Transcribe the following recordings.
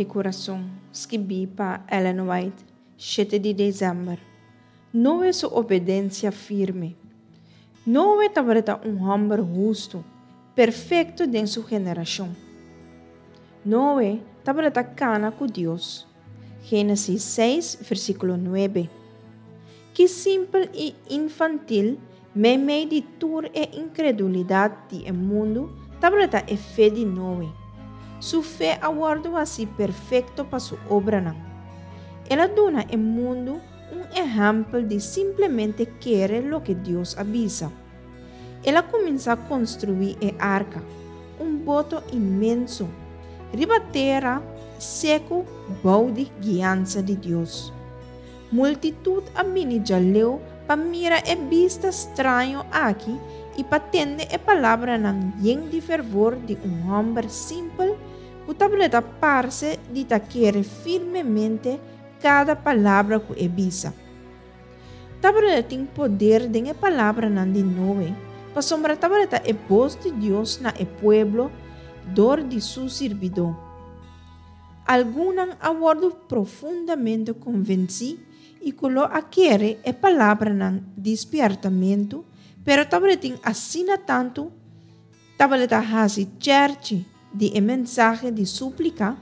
di Kurason, skibí pa Ellen White, shete di desèmber. Noe su obedensia firme. Noe tabata un hòmber hustu, perfekto den su generashon. Noe tabata kana ku Dios. Génesis seis, versíkulo nuebe. Ki simpel i infantil, meimei di tur e inkredulidat di e mundu, tabata e fe di Noe! Su fe a wòrdu hasí perfekto pa su obranan. El a duna e mundu un ehèmpel di simplemente kere loke Dios a bisa. El a kuminsá konstruí e arka, un boto inmenso, riba tera seku bou di guiansa di Dios. Multitut a bini djaleu pa mira e bista straño aki i pa tende e palabranan yen di fervor di un hòmber simpel ku tabata parse di ta kere firmemente kada palabra ku e bisa. Tabata tin poder den e palabranan di Noe, pasobra tabata e bos di Dios na e pueblo dor di su sirbidó. Algunnan a wòrdu profundamente konvensí i ku lo a kere e palabranan di spièrtamentu, pero tabatin asina tantu tabata hasi chèrchi di e mensahe di súplika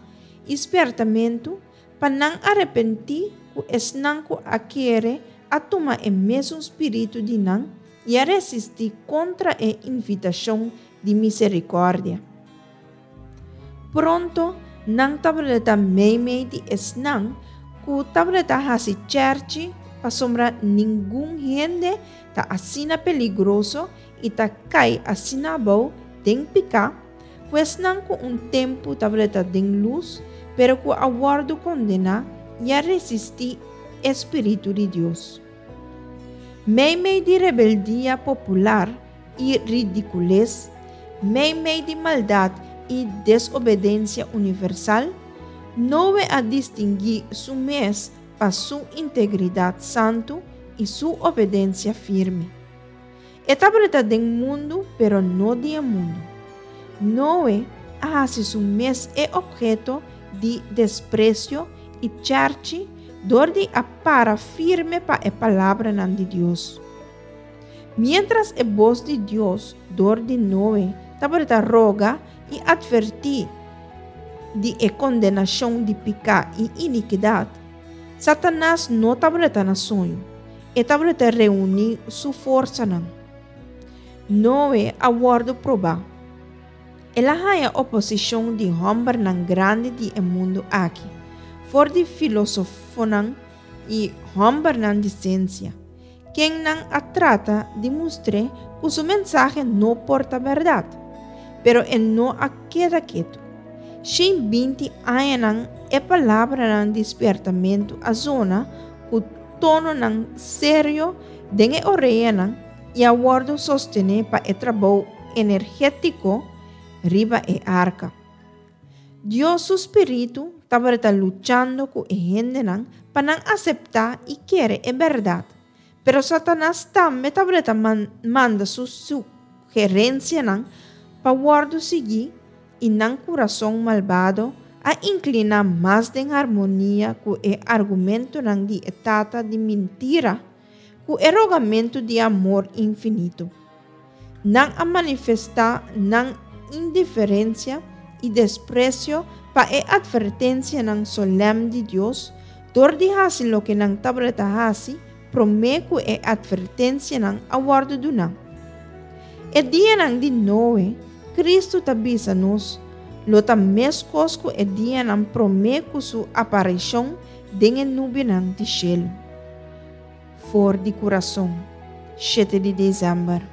i spièrtamentu pa nan arepentí ku esnan ku a kere a tuma e mesun spiritu di nan i a resistí kontra e invitashon di miserikòrdia. Pronto nan tabata meimei di esnan ku tabata hasi chèrchi pasobra ningun hende ta asina peligroso i ta kai asina abou den piká ku esnan ku un tempu tabata den lus pero ku a wòrdu kondená i a resistí e spiritu di Dios. Meimei di rebeldia popular i ridikules, meimei di maldat i desobedensia universal, Noe a distinguí su mes pa su integridat santu i su obedensia firme. E tabata den mundu pero no di e mundu. Noe a hasi su mes e opheto di despresio i chèrchi dor di a para firme pa e palabranan di Dios. Miéntras e bos di Dios dor di Noe tabata roga i atvertí di e kondenashon di piká i inikidat, Satanas no tabata na soño, e tabata reuní su forsanan. Noe a wòrdu probá. El a haña oposishon di hòmbernan grandi di e mundu aki, for di filósofonan i hòmbernan di siensia, kennan a trata di mustr'é ku su mensahe no por ta bèrdat. Pero e no a keda ketu. Shin binti añanan e palabranan di spièrtamentu a zona ku tononan serio den e oreanan i a wòrdu sostené pa e trabou energétiko riba e arka. Dios su spiritu tabata luchando ku e hendenan pa nan aseptá i kere e bèrdat, pero Satanas tambe tabata manda su sugerensianan pa wòrdu sigui i nan kurason malbado a inkliná mas den harmonia ku e argumentonan di e tata di mintira ku e rogamentu di amor infinito. Nan a manifestá nan indiferensia i despresio pa e atvertensianan solèm di Dios dor di hasi loke nan tabata hasi promé ku e atvertensianan a wòrdu duná. E dianan di Noe, Kristu ta bisa nos, lo ta meskos ku e dianan promé ku su aparishon den e nubianan di shelu. For di kurason, shete di desèmber.